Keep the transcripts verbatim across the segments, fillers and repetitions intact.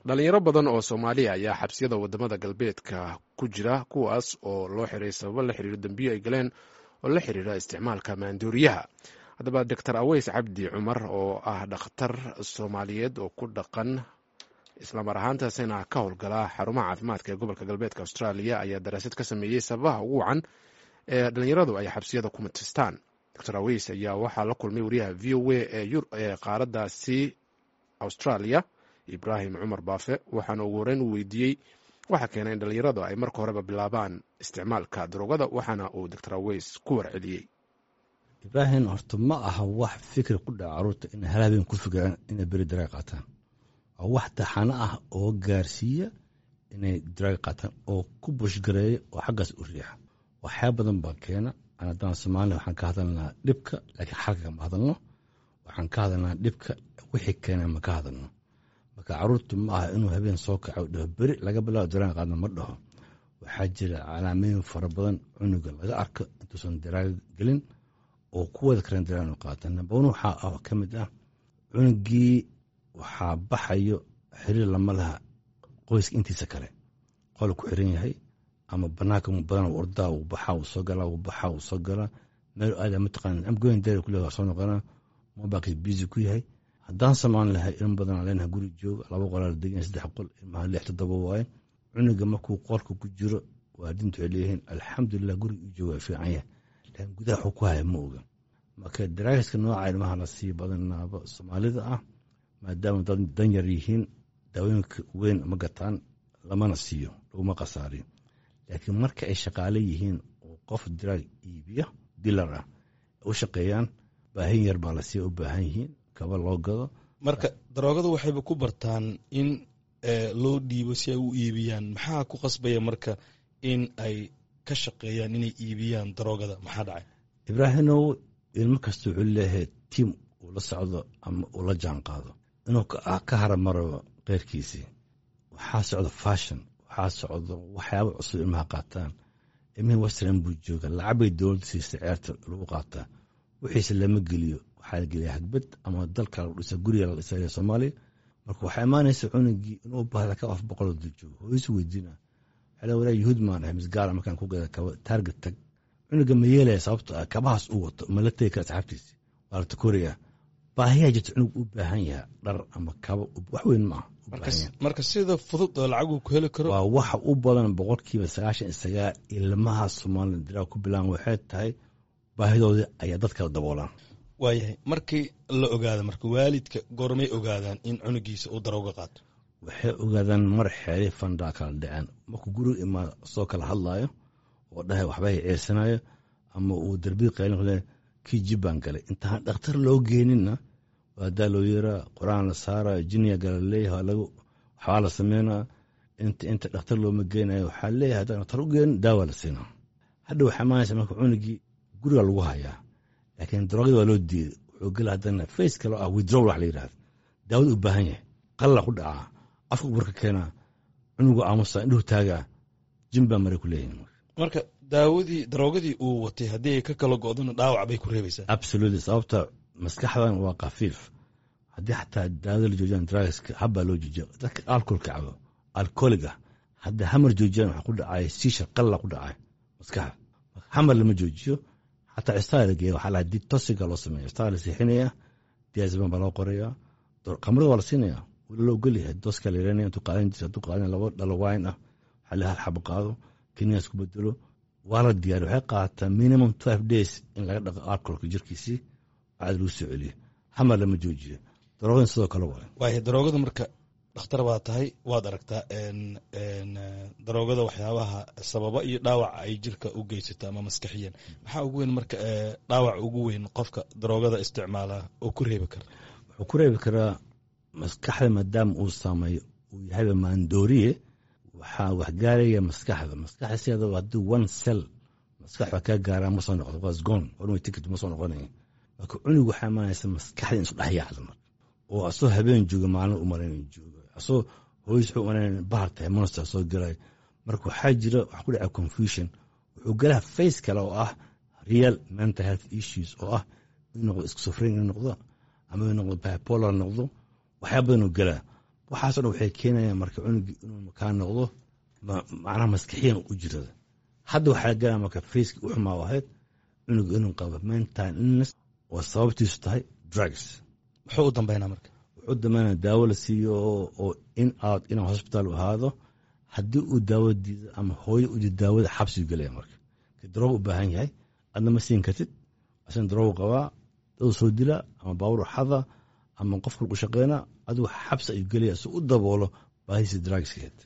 Dhalinyaro badan oo Soomaaliya ayaa xabsiyada wadamada galbeedka ku jira, kuwaas oo loo xiray sababo la xiriira dembiyo ay galeen oo la xiriira isticmaalka maandooriyaha. Haddaba, Doctor Aweys Cabdi Cumar, oo ah dhakhtar Soomaaliyeed oo ku dhaqan islamar ahaantaasina ka howlgala xarumaha caafimaadka ee gobolka galbeedka Australia, ayaa daraasad ka sameeyey sababaha ugu wacan ee dhalinyaradu ay xabsiyada ku matistaan. Doctor Aweys ayaa waxaa la kulmay wariyaha V O A ee qaaraddaasi Australia, Ibraahim Cumar Baafe, waxaana ugu horeyn uu weydiiyey waxaa keenay in dhalinyaradu ay marka horeba bilaabaan isticmaalka daroogada, waxaana uu Doctor Aweys ku warceliyey. Ibraahim, horta ma aha wax fikir ku dhaca caruurta inay hal habeen ku fikiraan inay beri drug qaataan. Waa wax taxano ah oo gaarsiiya inay drug qaataan oo ku push gareeya oo xaggaas u riixa. Waxyaa badan baa keena. Aan haddaan Soomaaliya waxaan ka hadalnaa dhibka, laakiin xalka kama hadalno. Waxaan ka hadalnaa dhibka, wixii keena ma ka hadalno. Marka caruurtu ma aha inuu habeen soo kaco, dhaho beri laga bilaabo drug qaadna, ma dhaho. Waxaa jira calaamooyin fara badan cunuga laga arko intuusan drug gelin oo ku wada karan drug inuu qaata. Number one, waxaa ka mid ah cunugii waxaa baxayo xiriir lama laha qoyska intiisa kale, qol ku xiran yahay ama banaanka badan uu ordaa, uu baxaa, uu soo galaa, uu baxaa, uu soo galaa, meel aada mataqaana, "I'm going there" kule, waa soo noqonaa, mobilkiis busy ku yahay. Haddaan samaan lahay, ilmo badan aan leenahay guri jooga, laba qolaa degan, saddex qol, ilmaha lix toddoba waaye. Cunuga markuu qolka ku jiro, waalidiintu waxay leeyihiin, "Alxamdulilah, guriga uu jooga waa fiican yahay," laakiin gudaha wuxuu ku haya ma oga. Marka drugska nooca ilmaha la sii badanaaba Soomaalida ah, maadaama dad danyar yihiin, daawooyinka weyn ma gataan, lamana siiyo, laguma khasaariyo. Laakiin marka ay shaqaale yihiin oo qof drug iibiya, dealer ah, u shaqeeyaan, baahin yar baa la siiya, u baahan yihiin kaba loo gado. Marka daroogada waxayba ku bartaan in loo dhiibo si ay u iibiyaan. Maxaa ku qasbaya marka in ay ka shaqeeyaan inay iibiyaan daroogada? Maxaa dhacay? Ibraahimow, ilmo kasta wuxuu leeyahay team uu la socdo ama uu la jaan qaado inuu ka haramaro keyrkiisii. Waxaa socda fashion, waxaa socdo waxyaaba cusub ilmaha qaataan. Ilmihii western buu jooga, lacag bay dowladda siistay ceerta lagu qaataa, wixiise lama geliyo. Waxaa la geliya hagbad ama dalka lagu dhisa, guriga la dhisaya Soomaaliya. Marka waxaa imaanaysa cunugii inuu baahda ka qof boqol dul joogo, hooysu weydiina, waxaa walaa yuhuud maan ahay misgaala markaan ku gada kaba Target tag. Cunuga ma yeelaya, sababto ah kabahaas uu wato ma la tegi kara asxaabtiisi, waa la takooraya. Baahiyaa jirta, cunug u baahan yahay dhar ama kaba, wax weyn ma aha. Marka sida fudud oo lacag uu ku heli karo. Waa waxa u badan boqolkiiba sagaashan iyo sagaal ilmaha Soomaalida drug ku bilaan waxay tahay baahidoodii ayaa dad kala daboolaan. Waayahay, markii la ogaado, marka waalidka goormay ogaadaan in cunugiisa uu darooga qaato? Waxay ogaadaan mar xeelay fandaa kala dhaceen, markuu guriga imaado soo kala hadlaayo oo dhahay waxbay ceersanayo ama uu darbii qaylin, kii jib baan galay. Intaan dhakhtar loo geeninna waadaa loo yeeraa, Qur-aan la saara, jiniya gala leeyahay, waxbaa la sameynaa. Inta inta dhakhtar looma geenayo, waxaa leeyahay haddaan dhakhtar u geenin, daawa la siinaa. Hadha waxaa imaanaysa marka cunugii guriga lagu hayaa, laakiin daroogada waa loo diiday. Wuxuu gela haddana phase kale oo ah withdrawal wax la yidhahdo. Daawada u baahan yahay, qalla ku dhacaa, afka burka keenaa, cunugu aamusa, indhuhu taagaa, jin baa maray ku leeyihin. Marka daawadii daroogadii uu watay haddii ay ka kala go'dona, dhaawac bay ku reebaysaa. Absolutely, sababta maskaxdan waa khafiif. Haddii xataa daawada la joojiyaan, drugska habbaa loo joojiya. Dadka alcoholka cabo, alcoholic ah, haddii hamar joojiyaan, waxaa ku dhacay seizure, qalla ku dhacay maskaxda. Hamar lama joojiyo, xataa cistaa la geeya, waxaa la detoxiga loo sameeya, cistaa la seexinaya, diazepam baa loo qorayaa, khamrada waa la siinaya, weli loo ogolyahay, doseka la yareynaya. Intuu qaadan jirta hadduu qaadan laba dhalo wine ah, waxaa la hal xabo qaado, kiniyaas ku bedelo, waa la diyaariya. Waxay qaadataa minimum twelve days in laga dhaqo alcoholka jirkiisii, caadi lagu soo celiyo. Hamar lama joojiyo. Daroogadan sidoo kale waay. Waaya, daroogada marka, dhakhtar baa tahay, waad aragtaa daroogada waxyaabaha sababa iyo dhaawaca ay jirka u geysato ama maskaxiyan. Maxaa ugu weyn marka dhaawac ugu weyn qofka daroogada isticmaala oo ku reebi kara? Wuxuu ku reebi karaa maskaxda, maadaama uu saameeyo, uu yahayba maandooriye, waxaa waxgaaraya maskaxda. Maskaxda sideedaba haddii one cell maskaxda kaa gaaraa, ma soo noqdo, was gone, one way ticket, ma soo noqonaya. Marka cunug waxaa imaanaysa maskaxda in isu dhex yaacdo, marka oo asoo habeen jooga maalin u malayn jooga, asoo hooyis wuxuu umalayn bahar tahay, monster soo galay. Marka waxaa jira wax ku dhaca confusion, wuxuu galaa phase kale oo ah real mental health issues, oo ah inuu noqdo schizophrenia, inuu noqdo ama inuu noqdo bipolar noqdo, waxyaa badan uu galaa. Waxaaso dhan waxay keenayaan marka cunugii inuu kaa noqdo macnaha maskixiyan u jirada. Hadda waxaa galaa marka faceki u xumaa ahayd cunuga inuu qabo mental illness oo sababtiisu tahay drugs. Muxuu u dambeynaa marka? Wuxuu dambeynaa daawo la siiyo oo in out inuu hospital u ahaado. Haddii uu daawo diido ama hooyo u diido daawada, xabsigu gelaya. Marka darooga u baahan yahay adna ma siin kartid, asna daroogu qabaa, dad soo dila ama baawur xada ama qof kal u shaqeyna, adigu xabsi ayuu gelaya si u daboolo baahiisa drugskeed.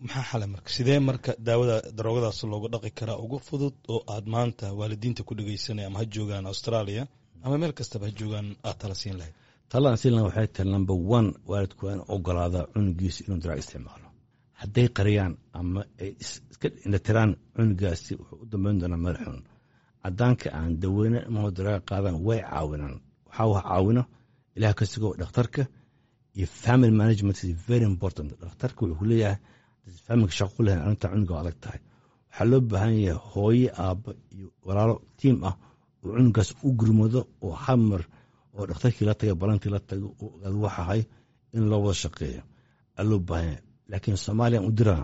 Maxaa xale marka? Sidee marka daawada daroogadaas loogu dhaqi karaa ugu fudud oo aad maanta waalidiinta ku dhegeysanaya, ama ha joogaan Australia ama meel kastaba ha joogaan, aad tala siin lahayd? Talaan siin lahayd waxay tahay, number one, waalidku waa in ogolaadaa cunugiisa inuu drug isticmaalo. Hadday qariyaan ama ay iska indhatiraan, cunugaasi wuxuu u dambeyn doonaa meel xun. Cadaanka aan daweyne ilmahoo daraaga qaadaan way caawinaan. Waxaa wax caawino ilaah ka sugo dhakhtarka iyo family management is very important. Dhakhtarka wuxuu ku leeyahay familka shaqo ku lehayn arrinta cunuga waa adag tahay. Waxaa loo baahan yahay hooye, aabba iyo walaalo tiim ah oo cunugaas u gurmado oo hamar oo dhakhtarkii la taga, balantii la tago oo ogaado waxahay in loo wada shaqeeyo aa loo baahan yahay. Laakiin Soomaaliyan u diraa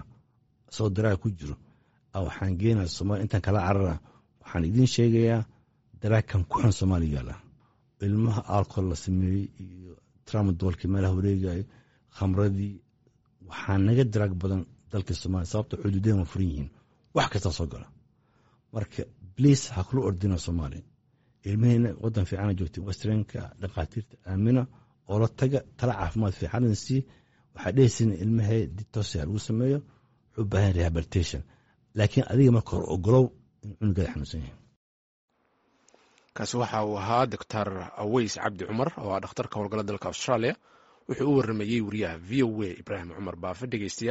isagoo daraaga ku jiro, waxaan geenaa Somalia intaan kala carara. Waxaan idiin sheegayaa daraagkan ku xun Soomaaliya yaala, ilmaha alcohol la sameeyey iyo tramadolkii meelaha wareegayo, khamradii, waxaa naga daraag badan dalka Soomaaliya, sababta xuduudeen waa furan yihiin, wax kastaa soo gala. Marka please ha kula ordina Soomaaliya ilmihiina. Wadan fiicana joogtay, westernka, dhakhaatiirta aamina oo la taga, tala caafimaad fiican sii. Waxaa dhehaysin ilmahee detox lagu sameeyo, wuxuu u baahan rehabilitation, laakiin adiga marka hore ogolow in cunugaada xanuunsan yahay. Kaasi waxa uu ahaa Doctor Aweys Cabdi Cumar oo ah dhakhtarka howlgala dalka Australia. Wuxuu u waramayey wariyaha V O A Ibraahim Cumar Baafe. Dhegeystayaal.